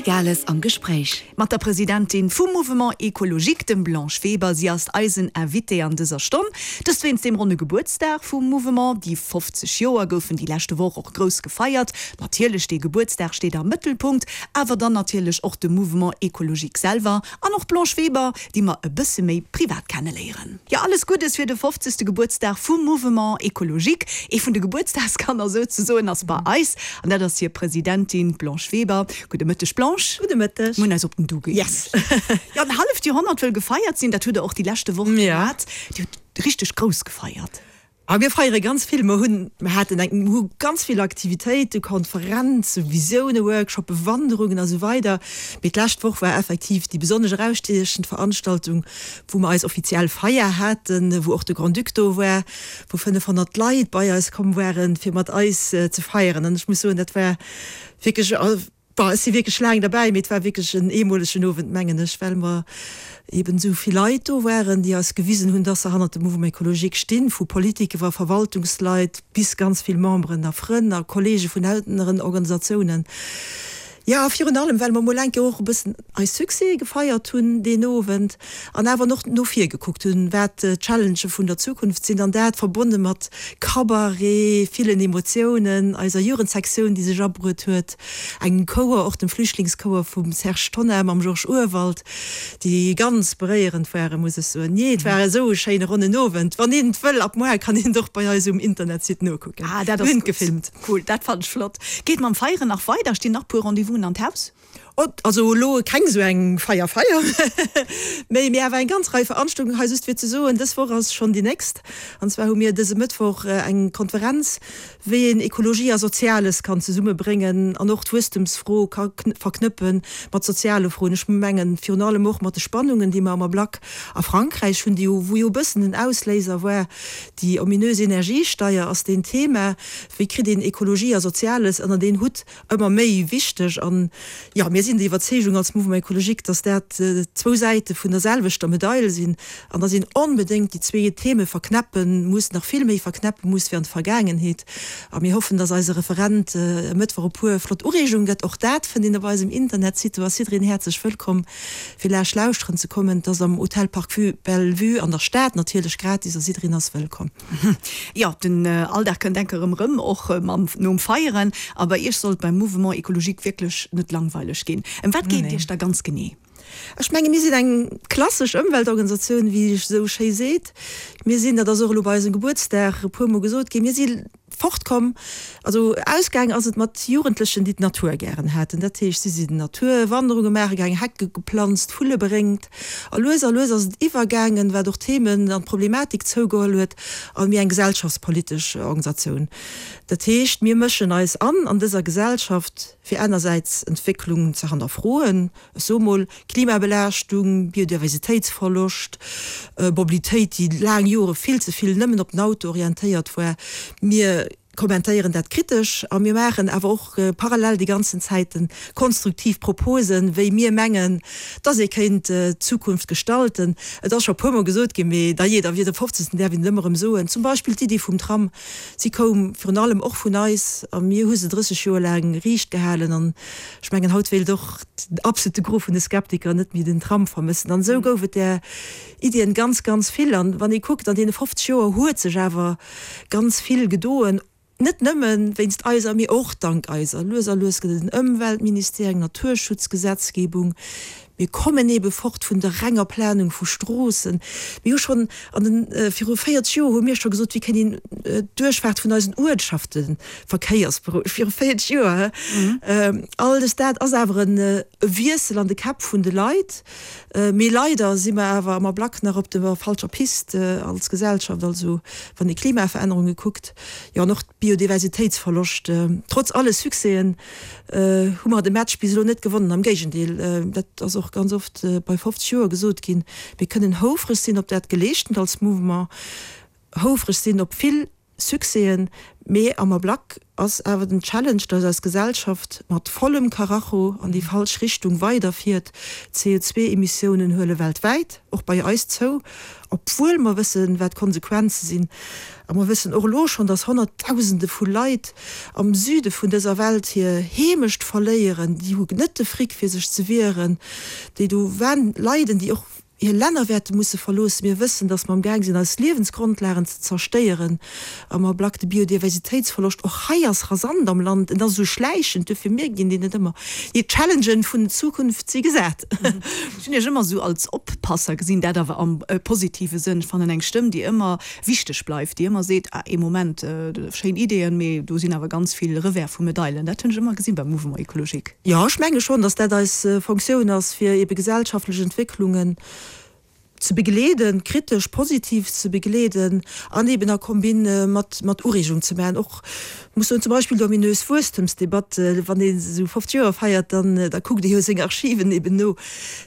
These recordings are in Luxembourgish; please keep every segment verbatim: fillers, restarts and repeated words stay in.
Gales am Gespréich. Mat der Presidentin vum Mouvement Écologique, dem Blanche Weber. Si ass eisen Invité an dëser Stonn. Dëst wéinst dem ronne Gebuertsdag vum Mouvement. Déi fofzeg Joer goufen déi leschte Woch och grouss gefeiert. Natierlech de Gebuertsdag steet am Mëttelpunkt, awer dann natierlech och de Mouvement Écologique selwer an och d'Blanche Weber, déi mer e bësse méi privat kenneléieren. Jo, alles Guddes fir de fofzegste Gebuertsdag vum Mouvement Écologique. Ee vun de Gebuertsdagskanner souzesoen ass bei eis, an dat ass hir Presidentin, d'Blanche Weber. Gudde Mëtteg, Blanche. Gudde Mëtteg. Mir hunn eis op den Du gëeenegt. Yes. Jo, en halleft Joerhonnert wëll gefeiert sinn, dat hutt Der och déi leschte Woch gehat. Dir hutt richteg grouss gefeiert. A mir feiere ganz vill. Mer hunn, mer haten eng, mer hu ganz vill Aktivitéiten, Konferenzen, Visioune, Workshoppen, Wanderungen a sou weider. Mee d'lescht Woch war effektiv déi besonnesch erausstiechend Veranstaltung, wou mer eis offiziell Feier haten, wou och de Grand-Duc do war, wou fënnefhonnert Leit bei eis komm waren, fir mat eis ze feieren. An ech muss soen, dat war wierklech, bon, ech si wierklech laang derbäi, mee et war wierklech en eemolegen Owend, mengen ech, well mer eben esou vill Leit do waren, déi eis gewisen hunn, dass se hannert dem Mouvement écologique stinn, vu Politik iwwer Verwaltungsleit bis ganz vill Memberen a Frënn a Kollege vun aneren Organisatiounen. Jo, a virun allem, well mer mol eng Kéier och e bëssen eis Succèse gefeiert hunn deen Owend an awer och no vir gekuckt hunn, wat d'Challengë vun der Zukunft sinn, an dat verbonne mat Cabaret, villen Emotiounen, eiser Jugendsektioun, déi sech abruet huet, engem Chouer, och dem Flüchtlingschouer vum Serge Tonnar mam Georges Urwald, déi ganz beréierend waren, muss ech soen. Jee, et war esou e schéine ronnen Owend. Wann een et wëll, ab muar kann een et och bei eis um Internetsite nokucken. Ah, dat Mir ass hunn et gutt. gefilmt. Cool, dat fannen ech flott. Geet mam Feieren nach weider? Stinn nach puer Rendez-vousen an d'Haus? Also elo keng esou eng Feier Feier, mee mir awer eng ganz Rei Veranstaltungen. Hei just fir ze soen, dës Woch ass schonn déi nächst, an zwar hu mir dëse Mëttwoch eng Konferenz, wéi een Ekologie a Soziales kann zesummebréngen an och d'Wuesstemsfro ka verknëppe mat soziale Froen. Ech mengen virun allem och mat de Spannungen, déi mer am Ablack a Frankräich hunn, déi jo, wou jo e bëssen den Ausléiser war, déi ominös Energiesteier ass deen Thema, wéi kritt een Ekologie a Soziales ënnert een Hutt, ëmmer méi wichteg. An jo, mir sinn der Iwwerzeegung als Mouvement Écologique, dass dat zwou Säite vun der selwechter Medail sinn an dass een onbedéngt déi zwee Theme verknäppe muss, nach vill méi verknäppe muss wéi an der Vergaangenheet. A mir hoffen, dass eise Referent e Mëttwoch e puer flott Ureegunge gëtt. Och dat fënnt een op eisem Internetsite. Do ass jiddereen häerzlech wëllkomm, fir laanscht lauschteren ze kommen. Et ass am Hotel Parc Vue Bellevue an der Stad, natierlech gratis a jiddereen ass wëllkomm. Jo, den Alldag kënnt enke rëm rëm, och mam nom Feieren. A bei Iech soll et beim Mouvement Écologique wierklech net langweileg ginn. Ëm wat geet et Iech da ganz genee? Ech menge mir sinn eng klassesch Ëmweltorganisatioun, wéi ee sou schéi seet. Mir sinn, dat ass och elo bei eisem Gebuertsdag e puermol gesot ginn, mir si fortkomm, also ausgaang ass et mat Jugendlechen, déi d'Natur gären haten. Dat heescht, si sinn Naturwanderunge maache gaangen, Hecke geplanzt, Vulle beréngt. A lues a lues ass et iwwergaangen, wat och d'Themen an d'Problematik zougeholl huet, a méi eng gesellschaftspolitesch Organisatioun. Dat heescht, mir mëschen eis an an dëser Gesellschaft, fir anersäits Entwécklungen ze hannerfroen, ech soe mol, Klimabelaaschtung, Biodiversitéitsverloscht, Mobilitéit, déi laang Jore vill ze vill nëmmen op den Auto orientéiert war. Mir kommentéieren dat kritesch a mir maachen awer och parallel déi ganzen Zäite konstruktiv Proposen, wéi mir mengen, dass ee kéint d'Zukunft gestalten. Et ass scho e puermol gesot ginn, mee dajee, da wier de fofzegsten däerf een et ëmmer erëm soen, zum Beispill d'Iddi vum Tram, si koum virun allem och vun eis a mir hu se drësseg Joer laang riicht gehalen an ech mengen, haut wéilt och den absolute Gros vun de Skeptiker net méi den Tram vermëssen. An esou gouf et där Iddien ganz, ganz vill. An wann ee kuckt, an deene fofzeg Joer huet sech awer ganz vill gedoen, net nëmme wéinst eiser, mee och dank eiser. Lues a lues gëtt et en Ëmweltministère, eng Naturschutzgesetzgebung. Mir kommen eebe fort vun der renger Planung vu Stroossen. Mir hu schonn an den, viru véierzeg Joer hu mir scho gesot, wéi kéint een d'Duerchfaart vun eisen Uertschafte verkéiersberouegt. Viru véierzeg Joer, hä? All dës, dat ass awer e Wiessel an de Käpp vun de Leit. Mee leider si mer awer am Ablack nach op der falscher Piste als Gesellschaft, also wann ee Klimaverännerunge kuckt, jo an och Biodiversitéitsverloscht. Trotz alle Succèsen hu mer de Match bis elo net gewonnen, am Géigendeel, dat ass och ganz oft bei fofzeg Joer gesot ginn. Mir kënnen houfreg sinn op dat Geleeschtent als Mouvement, houfreg sinn op vill Succèsen, mee am Ablack ass awer den Challenge, dass eis Gesellschaft mat vollem Karacho an déi falsch Richtung weiderfiert. D' C O zwei Emissiounen huele weltwäit, och bei eis, zou, obwuel mer wëssen, wat d'Konsequenze sinn. A mer wëssen och elo schonn, dass Honnertdausende vu Leit am Süde vun dëser Welt hir Heemecht verléieren, déi hu net de Fric fir sech ze wieren, déi do leiden, déi och hir Länner wäerte musse verloossen. Mir wëssen, dass mer am Gaang sinn, eis Liewensgrondlagen ze zerstéieren. Am Ablack de Biodiversitéitsverloscht och hei ass rasant am Land. En ass esou schläichend, duerfir mierkt een deen net ëmmer. Déi Challengen vun der Zukunft si gesat. Ech hunn Iech ëmmer esou als Oppasser gesinn, dat awer am positive Sënn. Ech fannen eng Stëmm, déi ëmmer wichteg bleift, déi ëmmer seet, ah, ee Moment, schéin Ideeën, mee do sinn awer ganz vill Revers vu Medailen. Dat hunn ech ëmmer gesinn beim Mouvement Écologique. Jo, ech menge schonn, dass dat eis Fonctioun ass, fir ebe gesellschaftlech Entwécklungen ze begleeden, kritesch, positiv ze begleeden an eben a Combine mat mat Ureegung ze maachen. Och muss soen, zum Beispill d'ominös Wuesstemsdebatt, wann ee sou fofzeg Joer feiert, dann da kuckt ee jo seng Archiven eben no.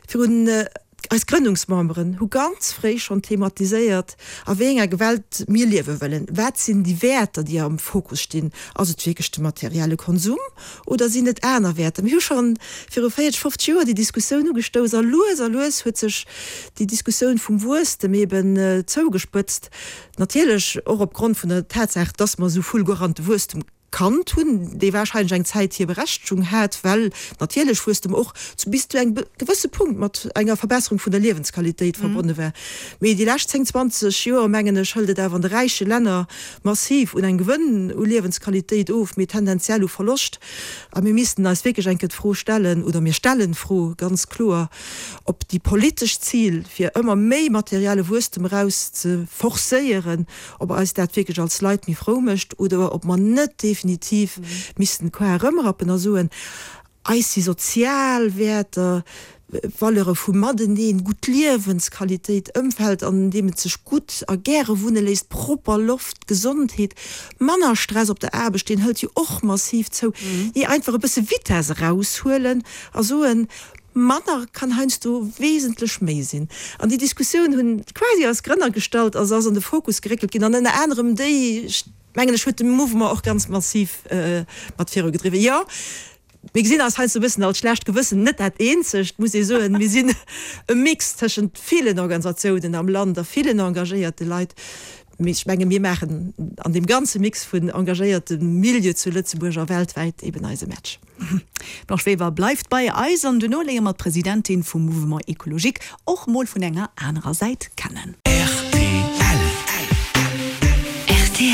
Virun eis Grënnungsmemberen hu ganz fréi schonn thematiséiert, a wéi enger Welt mir liewe wëllen. Wat sinn déi Wäerter, déi am Fokus stinn? Ass et wierklech de materielle Konsum oder sinn et aner Wäerter? Mir hu scho viru véierzeg, fofzeg Joer déi Diskussioun ugestouss a lues a lues huet sech déi Diskussioun vum Wuesstem eben zougespëtzt. Natierlech och opgrond vun der Tatsaach, dass mer esou fulgurante Wuesstem kannt hunn, dee warscheinlech eng Zäit hir Berechtegung hat, well natierlech Wuesstem och zu bis zu engem gewësse Punkt mat enger Verbesserung vun der Liewensqualitéit verbonne war. Mee déi lescht zéng, zwanzeg Joer, mengen ech, hëlt et awer an de räiche Länner massiv un engem Gewënn u Liewensqualitéit of, mee tendenziell u Verloscht. A mir missten eis wierklech eng Kéier d'Fro stellen, oder mir stellen d'Fro ganz kloer, ob déi politesch Zil, fir ëmmer méi materielle Wuesstem eraus ze forcéieren, ob eis dat wierklech als Leit méi frou mécht oder ob mer net definitiv missten d'Koar erëmrappen a soen, Eis si sozial Wäerter, Valeure vu Mateneen, gutt Liewensqualitéit, Ëmfeld, an deem et sech gutt a gäre wunne léisst, propper Loft, Gesondheet, manner Stress op der Aarbecht, deen hëlt jo och massiv zou, jee einfach e bësse Vitesse eraushuelen a soen, Manner kann heiansdo wesentlech méi sinn. An déi Diskussioun hunn quasi eis Grënner gestallt a se ass an de Fokus geréckelt ginn an ënner anerem déi, mengen ech, huet de Mouvement och ganz massiv mat virugedriwwen. Jo, mir gesinn eis heiansdo e bëssen als schlecht Gewëssen, net dat eenzegt, muss ee soen. Mir sinn e Mix tëschent villen Organisatiounen am Land a villen engagéierte Leit. Mee ech menge mir maachen an deem ganze Mix vun engagéierte Milieu zu Lëtzebuerg a weltwäit eben eise Match. D'Blanche Weber bleift bei eis an duerno léiere mer d'Presidentin vum Mouvement Ecologique och mol vun enger anerer Säit kennen. Rtl.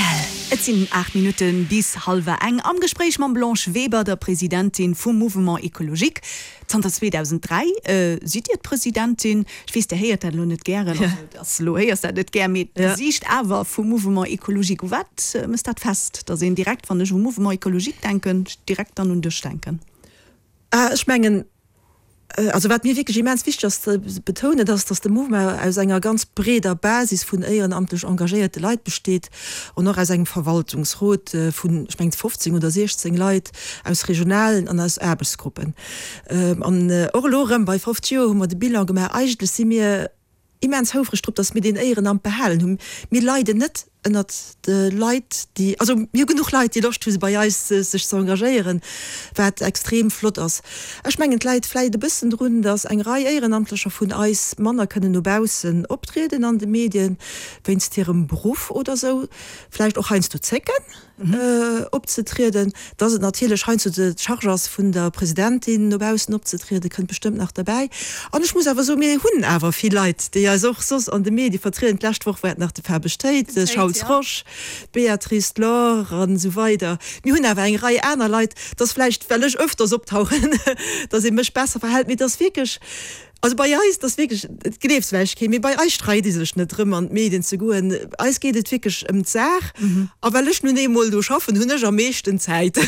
Et sinn aacht Minutte bis hallwer eng. Am Gespréich mam Blanche Weber, der Presidentin vum Mouvement Ecologique. Zanter zweedausenddräi sidd Dir d'Presidentin. Ech weess, Dir héiert dat elo net gären, also et ass elo, héiers dat net gär, mee d'Gesiicht awer vum Mouvement Ecologique. U wat mëss dat fest, datt een direkt, wann ech u Mouvement Ecologique denken, direkt dann un dech denken? Ech mengen, also wat mir wierklech immens wichteg ass ze betounen, dat ass, datt de Mouvement aus enger ganz breeder Basis vun éierenamtlech engagéierte Leit besteet an och aus engem Verwaltungsrot vun, ech mengen, fofzéng oder siechzéng Leit aus regionalen an aus Aarbechtsgruppen. An och elo erëm bei fofzeg Joer hu mer de Bilan gemaach. Eigentlech si mir immens houfreg drop, datt mir deen Éierenamt behalen hunn. Mir leiden net ënnert de Leit, déi, also mir hu genuch Leit, déi Loscht hu bei eis sech ze engagéieren, wat extrem flott ass. Ech mengen, et läit vläicht e bëssen drun, datt eng Rei Éierenamtlecher vun eis manner kënnen no baussen optrieden an de Medien, wéinst hirem Beruff oder sou, vläicht och heiansdo zécken opzetrieden. Datt et natierlech heiansdo d'Charge ass vun der Presidentin, no baussen opzetrieden, kënnt bestëmmt nach derbäi. An ech muss awer soen, mir hunn awer vill Leit, déi eis och soss an de Medie vertrieden. D'lescht Woch war et nach de Fabesch Théid, de Charles Rosch, d'Béatrice, d'Laure an esou weider. Mir hunn awer eng Rei aner Leit. Et ass vläicht, well ech ëfters optauchen, datt ee mech besser verhält, mee et ass wierklech, also bei eis, et ass wierklech, et gleeft vläicht keen, mee bei eis streit ee sech net drëm, an d'Medien ze goen. Eis geet et wierklech ëm d'Saach. A well ech nun eemol do schaffen, hunn ech am meeschten Zäit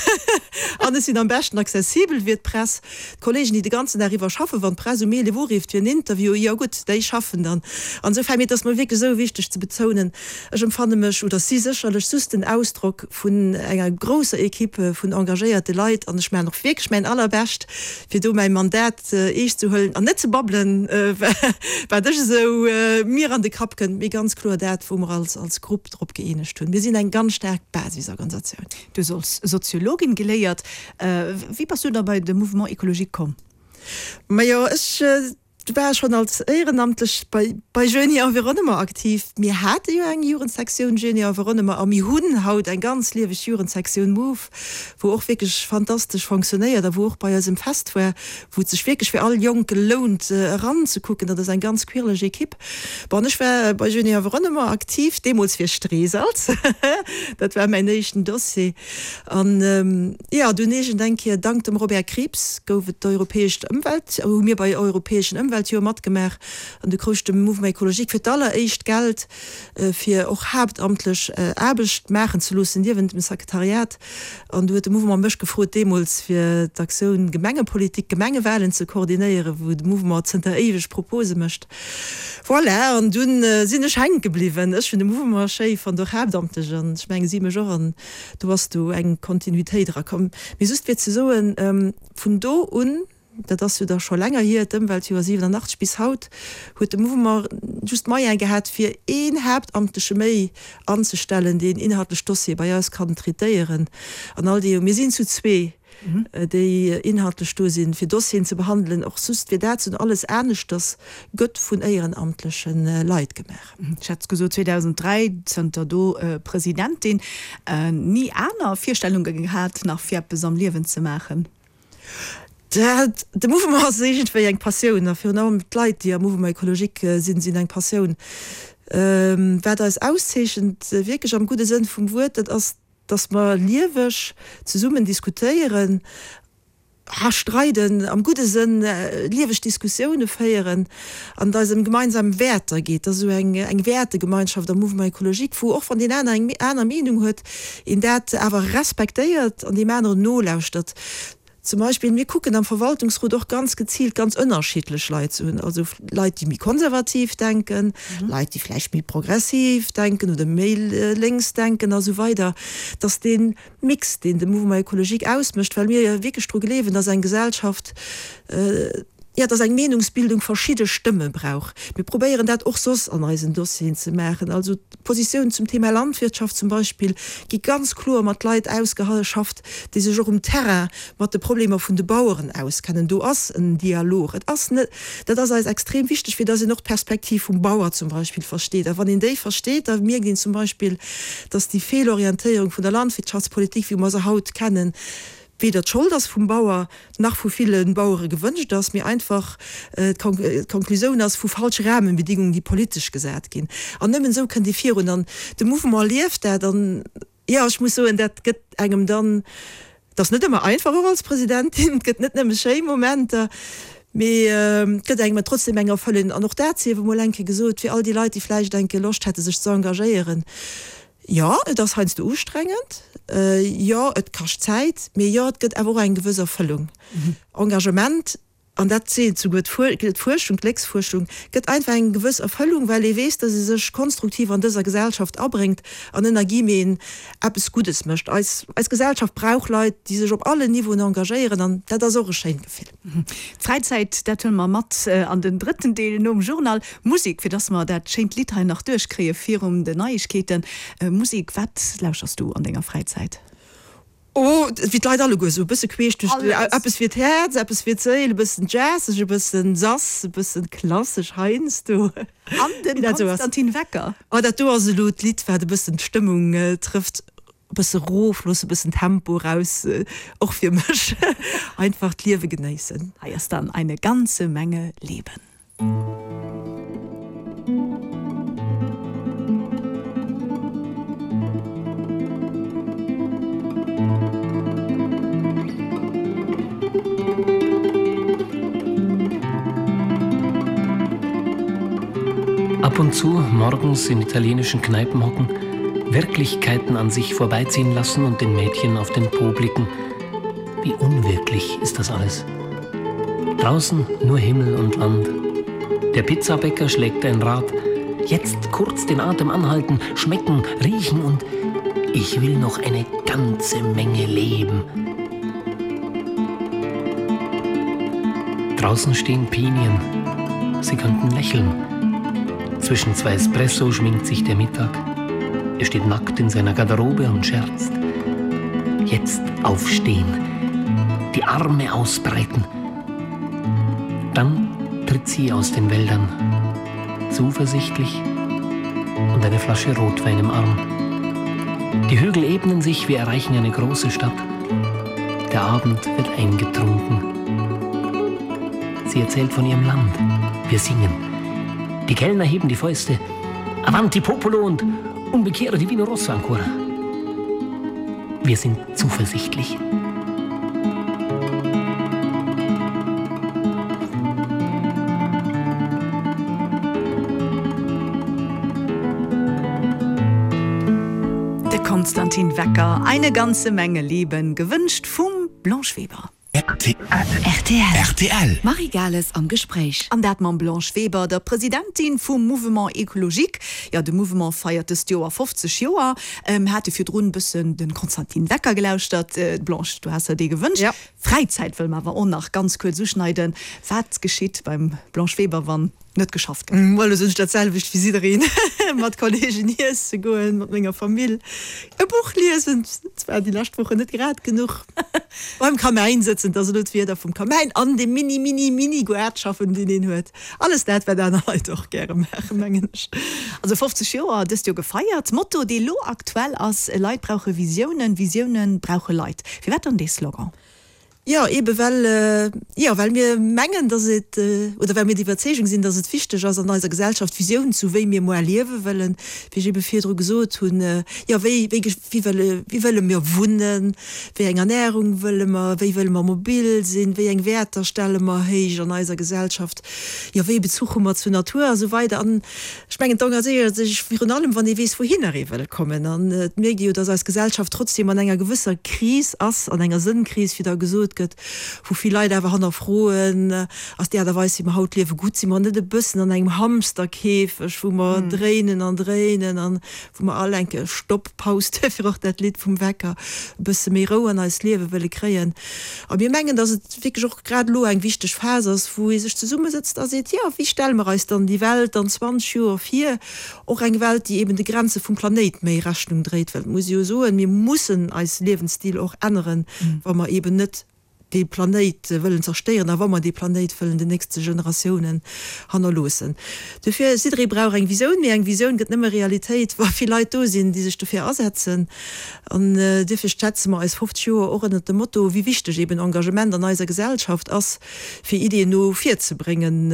an ech sinn am beschten accessibel fir d'Press. D'Kollegen, déi de ganzen Dag iwwer schaffen, wann d'Press um eelef urifft fir en Interview, jo gutt, déi schaffen dann. An esou fäll, mee et ass mer wierklech esou wichteg ze betounen, ech empfanne mech, oder si sécherlech just den Ausdrock vun enger grousser Equipe vun engagéierte Leit an ech maachen och wierklech mäin Allerbescht, fir do mäi Mandat eescht ze huelen an net ze babbelen. brabbelen, wat ech esou mir an de Kapp kënnt, mee ganz kloer dat, wou mer als als Grupp drop gëeenegt hunn. Mir sinn eng ganz staark Basisorganisatioun. Du hues als Soziologin geléiert. Wéi bass du da bei de Mouvement Écologique komm? Majo, ech war schonn als Éierenamtlech bei bei Jeunes et Environnement aktiv. Mir hate jo eng Jugendsektioun Jeunes et Environnement a mir hunn haut eng ganz lieweg Jugendsektioun Move, wou och wierklech fantastesch fonctionnéiert a wou och bei eisem Fest war, wou et sech wierklech fir all Jonke lount eranzekucken. Dat ass eng ganz quirleg Ekipp. Bon, ech war bei Jeunes et Environnement aktiv, deemools fir Streesalz, dat war mäin éischten Dossier. An jo, dunn iergend eng Kéier, dank dem Robert Krieps, gouf et d'europäescht Ëmwelt, hu mir bei europäeschen Ëmweltjoer matgemaach an du krouch de Mouvement Écologique fir d'alleréischt Geld, fir och haaptamtlech Aarbecht maachen ze loossen niewent dem Sekretariat. An du huet de Mouvement mech gefrot deemools, fir d'Aktioun Gemengepolitik, Gemengewahlen ze koordinéieren, wou de Mouvement zënter éiweg Propose mécht. Voilà, an dunn sinn ech hänke bliwwen. Ech hunn de Mouvement schéi fonnt, och haaptamtlech, an ech menge si mech och, an do ass du eng Kontinuitéit erakomm. Mee just fir ze soen, vun do un, dat ass jo da scho länger hier, d'Ëmweltjoer siwenanachtzeg bis haut, huet de Mouvement just d'Moyene gehat, fir een Haaptamtleche méi anzestellen, deen inhaltlech Dossiere bei eis kann traitéieren. An all déi, mir sinn zu zwee, déi inhaltlech do sinn, fir Dossieren ze behandelen, och just fir dat ze hunn. Alles aneschters gëtt vun éierenamtleche Leit gemaach. Ech hat gesot, zweedausenddräi, zënter do Presidentin. Ni aner Virstellunge gehat nach fir eppes am Liewen ze maachen? Dat, de Mouvement ass iergendwéi eng Passioun a virun allem d'Leit, déi am Mouvement écologique sinn, sinn eng Passioun. Wat eis auszeechent, wierklech am gudde Sënn vum Wuert, dat ass, dass mer lieweg zesummen diskutéieren a streiden, am gudde Sënn, lieweg Diskussioune féieren an et eis ëm gemeinsam Wäerter geet. Et ass esou eng eng Wäertegemeinschaft am Mouvement écologique, wou och wann deen aner eng aner Meenung huet, een dat awer respektéiert an deem aneren nolauschtert. Zum Beispill, mir kucken am Verwaltungsrot och ganz geziilt ganz ënnerschiddlech Leit ze hunn, also Leit, déi méi konservativ denken, Leit, déi vläicht méi progressiv denken oder méi lénks denken a sou weider, dass dee Mix, deen de Mouvement écologique ausmécht, well mir jo wierklech dru gleewen, dass eng Gesellschaft, jo, dass eng Meenungsbildung verschidde Stëmme brauch. Mir probéieren dat och soss an eisen Dossieren ze maachen. Also d'Positiounen zum Thema Landwirtschaft zum Beispill gi ganz kloer mat Leit ausgeschafft, déi sech och um Terrain mat de Problemer vun de Baueren auskennen. Do ass en Dialog. Et ass net, dat ass eis extrem wichteg, fir dass een och d'Perspektiv vum Bauer zum Beispill versteet. A wann een déi versteet, da mierkt een zum Beispill, dass déi Feelorientéierung vun der Landwirtschaftspolitik, wéi mer se haut kennen, weder d'Schold ass vum Bauer, nach vu ville Bauere gewënscht ass, mee einfach d'Konklusioun ass vu falsche Rahmenbedingungen, déi politesch gesat ginn. An nëmmen esou kënnt ee virun. An de Mouvement lieft dat. An, jo, ech muss soen, dat gëtt engem dann, et ass net ëmmer einfach, och als Presidentin, et gëtt net nëmme schéi Momenter, mee et gëtt engem et trotzdem eng Erfëllung. An och dat sief emol eng Kéier gesot, fir all déi Leit, déi vläicht eng Kéier Loscht hätte sech ze engagéieren, Jo, et ass heiansdo ustrengend, jo, et kascht Zäit, mee jo, et gëtt awer och eng gewëss Erfëllung. Engagement, an dat seet souguer d'Fuerschung, d'Glécksfuerschung, gëtt einfach eng gewëss Erfëllung, well ee weess, datt ee sech konstruktiv an dëser Gesellschaft abréngt an ënner guillemeten eppes Guddes mécht. Eis, eis Gesellschaft brauch Leit, déi sech op allen Niveauen engagéieren, an dat ass och e schéint Gefill. D'Fräizäit, dat huele mer mat an den drëtten Deel nom Journal. Musek, fir dass mer dat schéint Lidd hei nach duerchkréie virum den Neiegkeeten. Musek, wat lauschers du an denger Fräizäit? Oh, wéi d'Leit alleguer, esou e bësse queesch duerch de, eppes fir d'Häerz, eppes fir d'Séil, e bëssen jazzeg, e bëssen sass, e bëssen klassesch heiansdo. An den Konstantin Wecker. Oh, dat do ass elo d'Lidd, wat e bëssen d'Stëmmung trëfft. E bësse rof loosse, e bëssen Tempo raus, och fir mech einfach d'Liewe genéissen. Hei ass dann eine ganze Menge Leben. Ab und zu morgens in italienischen Kneipen hocken, Wirklichkeiten an sich vorbeiziehen lassen und den Mädchen auf den Po blicken. Wie unwirklich ist das alles. Draußen nur Himmel und Land. Der Pizzabäcker schlägt ein Rad. Jetzt kurz den Atem anhalten, schmecken, riechen und ich will noch eine ganze Menge leben. Draußen stehen Pinien. Sie könnten lächeln. Zwischen zwei Espresso schminkt sich der Mittag. Er steht nackt in seiner Garderobe und scherzt. Jetzt aufstehen, die Arme ausbreiten. Dann tritt sie aus den Wäldern, zuversichtlich und eine Flasche Rotwein im Arm. Die Hügel ebnen sich, wir erreichen eine große Stadt. Der Abend wird eingetrunken. Sie erzählt von ihrem Land. Wir singen. Die Kellner heben die Fäuste. Avanti popolo und un bicchiere di vino rosso ancora. Wir sind zuversichtlich. De Konstantin Wecker, Eine ganze Menge Leben, gewünscht vum Blanche Weber. R T L. R T L. Marie Gales am Gespréich. An dat mam Blanche Weber, der Presidentin vum Mouvement Écologique. Jo, de Mouvement feiert dëst Joer fofzeg Joer. Ähm, hate virdrun bëssen de Konstantin Wecker gelauschtert. Äh, Blanche, du has der dee gewënscht. Ja. Fräizäit wëlle mer awer och nach ganz kuerz uschneiden. Wat geschitt beim Blanche Weber, wann net geschafft gëtt? Mm, Well sinn dat selwecht wéi jiddereen, mat Kolleegen iesse goen, mat menger Famill e Buch liesen, zwar déi lescht Wochen net grad genuch, beim Kamäin sëtzen, dat ass elo d'Wieder vum Kamäin, an dem mini mini mini Gaart schaffen, deen een huet. Alles dat, wat aner Leit och gäre maachen, mengen ech. Also fofzeg Joer dëst Joer gefeiert. Motto, dee lo aktuell ass, Leit brauche Visiounen, Visioune brauche Leit. Firwat dann dee Slogan? Jo, ebe well, jo, well mir mengen, dass et, oder well mir der Iwwerzeegung sinn, dass et wichteg ass an eiser Gesellschaft Visiounen ze hu wéi mir muer liewe wëllen, wéi ech ebe virdru gesot hunn, jo, wéi, wéi, wéi wëlle, wéi wëlle mir wunnen, wéi eng Ernährung wëlle mer, wéi wëlle mer mobil sinn, wéi eng Wäerter stelle mer héich an eiser Gesellschaft, jo, wéi e Bezuch hu mer zur Natur a sou weider. An ech mengen, et engagéiert sech virun allem, wann ee weess, wouhinner ee wëll kommen. An et mierkt ee jo, dass eis Gesellschaft trotzdem an enger gewësser Kris ass, an enger Sënnkris, wéi da gesot gëtt, wou vill Leit awer hannerfroen, Ass déi Aart a Weis, wéi mer haut liewen, gutt? Si mer net e bëssen an engem Hamsterkäfeg, wou mer dréinen an dréinen an wou mer all eng Kéier Stopp, Paus, duerfir och dat Lidd vum Wecker, e bësse méi Rou an eist Liewe wëlle kréien? A mir mengen, dass et wierklech och grad elo eng wichteg Phas ass, wou ee sech zesummesëtzt a seet, Jo, wéi stelle mer eis dann déi Welt an zwanzeg Joer vir? Och eng Welt, déi eben de Grenze vum Planéit méi Rechnung dréit, well et muss ee jo soen, mir mussen eis Liewensstil och änneren, wa mer eben net dee Planéit wëllen zerstéieren a wa mer dee Planéit wëllen den nächste Generatiounen hannerloossen. Dofir, jidderee brauch eng Visioun, mee eng Visioun gëtt nëmme Realitéit, wa vill Leit do sinn, déi sech dofir asetzen. An duerfir setze mer eis fofzeg Joer och ënnert dem Motto, wéi wichteg eben Engagement an eiser Gesellschaft ass, fir Iddien no vir ze bréngen.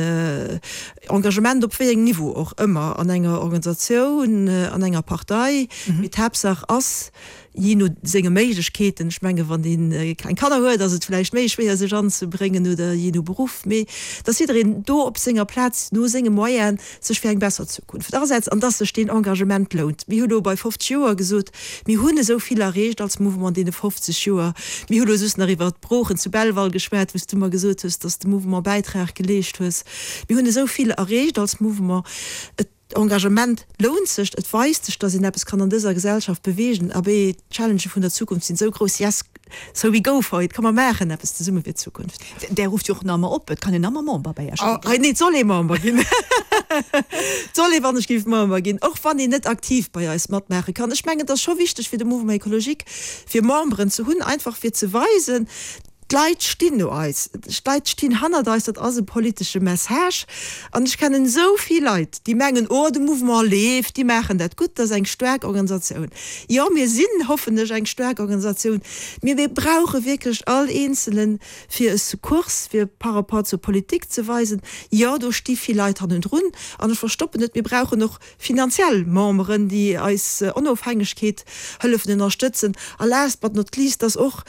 Engagement op wéi engem Niveau och ëmmer, an enger Organisatioun, an enger Partei, mee d'Haaptsaach ass, jee no senge Méiglechkeeten, ech menge wann een kleng Kanner huet, ass et vläicht méi schwéier sech anzebréngen oder jee no Beruff, mee dass jiddereen do op senger Plaz no senge Moyene sech fir eng besser Zukunft asetzt an dass sech deen Engagement lount. Mir hu lo bei fofzeg Joer gesot, mir hunn esou vill erreecht als Mouvement an deene fofzeg Joer. Mir hu lo just nach iwwert d'Broochen zu Belval geschwat, wou s du mer gesot hues, dass de Mouvement Bäitrag geleescht hues. Mir hunn esou vill erreecht als Mouvement. Et Engagement lount sech, et weist sech, dass een eppes kann an dëser Gesellschaft beweegen. Abee, d'Challengë vun der Zukunft sinn esou grouss, yes, so we go for it, komm mer maachen eppes zesumme fir d'Zukunft. Där rufft jo och nach ëmmer op, et kann een ëmmer Member bei Iech ginn. Oh, nee, et soll ee Member ginn. Et soll ee wann ech géif Member ginn, och wann een net aktiv bei eis matmaache kann. Ech mengen, et ass scho wichteg fir de Mouvement Écologique, fir Memberen ze hunn, einfach fir ze weisen, D'Leit stinn no eis, d'Leit stinn hannert eis, dat ass e politesche Message. An ech kennen esou vill Leit, déi mengen, oh de Mouvement leeft, déi maachen dat gutt, dat ass eng staark Organisatioun. Jo, mir sinn, hoffen ech, eng staark Organisatioun, mee mir brauche wierklech all Eenzelen, fir e Secours, fir par rapport zur Politik ze weisen, jo, do sti vill Leit hannendrun. An ech verstoppen net, mir brauchen och finanziell Memberen, déi eis Onofhängegkeet hëllefen ënnerstëtzen. A last but not least ass och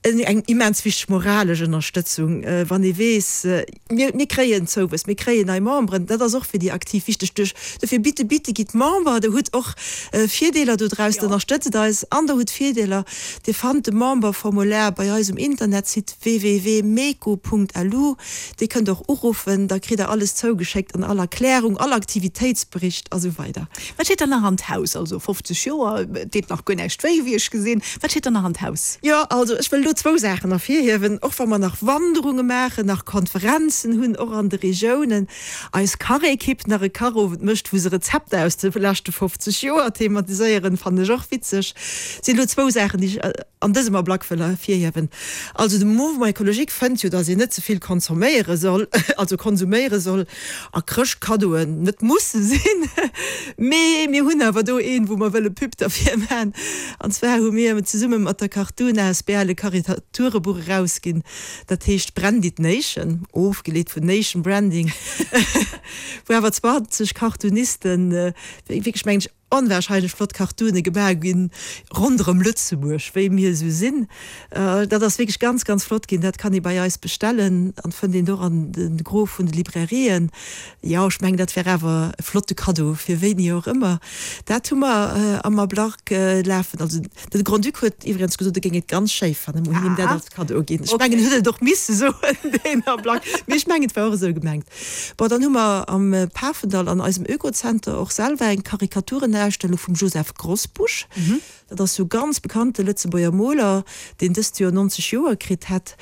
eng immens wichteg moralesch Ënnerstëtzung, wann ee weess, mir, mir kréien Zouwuess, mir kréien nei Memberen, dat ass och fir déi Aktiv wichteg. Duerch, dofir bitte, bitte gitt Member, Der hutt och Virdeeler dodraus, Der ënnerstëtzt eis an Der hutt Virdeeler. Dir fannt de Memberformulaire bei eis um Internetsite w w w punkt meco punkt l u. Dir kënnt och uruffen, da kritt Der alles zougeschéckt an all Erklärung, all Aktivitéitsbericht a sou weider. Wat steet dann nach an d'Haus? Also fofzeg Joer deet nach guer näischt wéi, wéi ech gesinn. Wat steet dann nach an d'Haus? Jo, also ech wëll wëll elo zwou Saachen ervirhiewen, och wa mer nach Wanderunge maachen, nach Konferenzen hunn, och an de Regiounen, eis Kachekipp nach e Kachowend mécht, wou se Rezepter aus de leschte fofzeg Joer thematiséieren, fannen ech och witzeg. Sinn elo zwou Saachen, déi ech an dësem Ablack wëll ervirhiewen. Also de Mouvement écologique fënnt jo, datt een net ze vill consomméiere soll, also konsuméiere soll a Chrëschtkaddoen net musse sinn. Mee mir hunn awer do een, wou mer wëlle Pub derfir man. An zwar hu mir zesumme mat der Cartoon asbl e Karikaturebuch erausginn, dat heescht Branded Nation, ofgeleet vun Nation Branding, wou awer zwanzeg Cartoonisten wierklech, mengen ech, onwahrscheinlech flott Cartoone gemaach ginn ronderëm Lëtzebuerg, wéi mir esou sinn. Dat ass wierklech ganz, ganz flott ginn. Dat kann ee bei eis bestellen an fënnt een och an de Gros vun de Librairien. Jo, ech mengen, dat wär awer e flotte Kaddo fir wéini och ëmmer. Dat hu mer am Ablack lafen. Also de Grand-Duc huet iwwregens gesot, e géing et ganz schéi fannen, mer hunn him dat als Kaddo ginn. Ech mengen, en huet et och misse soen, deen Ablack, mee ech mengen, et war och esou gemengt. Bon, dann hu mer am Pafendall an eisem Oekozenter och selwer eng Karikaturenausstellung vum Joseph Grosbusch. Dat ass jo ganz bekannte Lëtzebuerger Moler, deen dëst Joer nonzeg Joer kritt hätt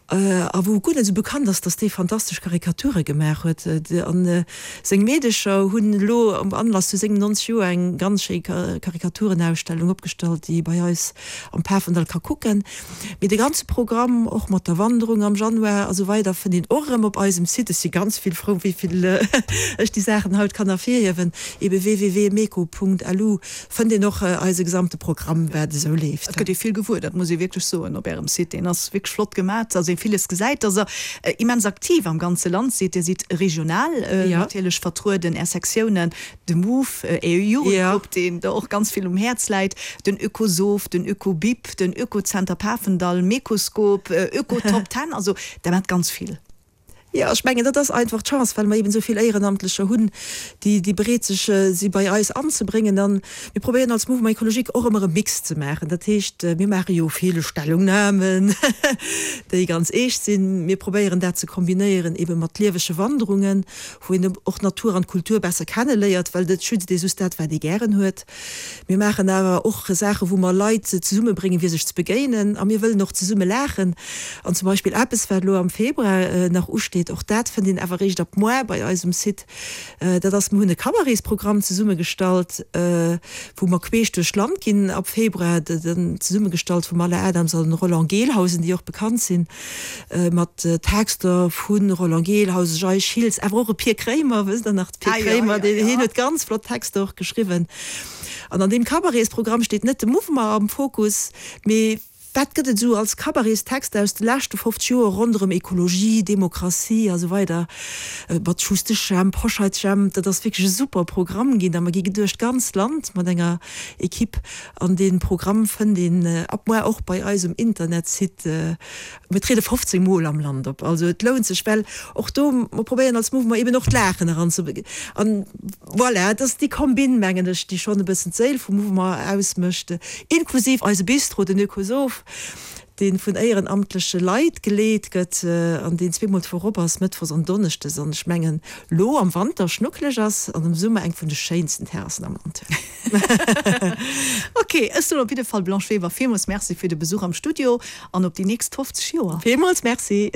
a wou guer net esou bekannt ass, dass dee fantastesch Karikature gemaach huet. An seng Meedecher hunn elo am Anlass zu sengem nonzeg Joer eng ganz schéi Karikaturenausstellung opgestallt, déi ee bei eis am Pafendall ka kucken. Mee de ganze Programm, och mat der Wanderung am Januar a sou weider, fënnt een och erëm op eisem Site. Ech si ganz vill frou, wéi vill ech déi Saachen haut kann ervirhiewen. Ebe www.meco.lu fënnt een och eise gesamte Programm, wat esou leeft. Et gëtt ee vill gewuer, dat muss ee wierklech soen, op Ärem Site. Deen ass wierklech flott gemat, dass ee villes gesäit, dass Der immens aktiv am ganze Land sidd. Dir sidd regional natierlech vertrueden, Är Sektiounen, de Move, Är Jugendgrupp, deen der och ganz vill um Häerz läit, den Oekosoph, den Oekobip, den Oekozenter Pafendall, Mecoskop, Oekotop Ten, also Der maacht ganz vill. Jo, ech mengen, dat ass einfach d'Chance, well mer eben esou vill Éierenamtlecher hunn, déi, déi bereet sech si bei eis anzebréngen. An mir probéieren als Mouvement écologique och ëmmer e Mix ze maachen. Dat heescht, mir maache jo vill Stellungnahmen, déi ganz eescht sinn. Mir probéieren dat ze kombinéieren ebe mat liewege Wanderungen, wou een och d'Natur an d'Kultur besser kenneléiert, well et schützt ee just dat, wat ee gären huet. Mir maachen awer och Saachen, wou mer Leit zesummebréngen, fir sech ze begéinen. A mir wëllen och zesumme laachen. An zum Beispill eppes, wat elo am Februar nach usteet, och dat fënnt een awer eréischt ab moar bei eis um Site, dat ass, mir hunn e Cabaretsprogramm zesummegestallt, wou mer queesch duerch d'Land ginn ab Februar, zesummegestallt vum Alain Adams an Roland Gelhausen, déi och bekannt sinn, mat Texter vu Roland Gelhausen, Jay Schiltz, awer och e Pir Kréimer, wësst Der nach, de Pir Kréimer, deen hien huet ganz flott Texter och geschriwwen. An an deem Cabaretsprogramm steet net de Mouvement am Fokus, mee wat gëtt et esou als Cabarets-Texter aus de leschte fofzeg Joer ronderëm Ekologie, Demokratie a sou weider, mat Schustesch Jemp, Hoscheits Jemp. Dat ass wierklech e super Programm ginn a mer gi duerch d'ganzt Land mat enger Equipe an dee Programm fënnt een ab muer och bei eis um Internetsite. Mir triede fofzéng Mol am Land op, also et lount sech, well och do, mer probéieren als Mouvement eben och d'Laachen eranzebréngen. An voilà, et ass déi Kombinn, mengen ech, déi schonn e bëssen d'Séil vum Mouvement ausmécht, inklusiv eise Bistro, den Oekosoph, dee vun éierenamtleche Leit geleet gëtt an deen zweemol d'Woch op ass, mëttwochs an donneschdes, an ech mengen lo am Wanter schnuckeleg ass an am Summer eng vun de schéinsten Terrassen am Land huet. Ok, ech soen op jidde Fall Blanche Weber villmools Merci fir de Besuch am Studio an op déi nächst fofzeg Joer. Villmools Merci.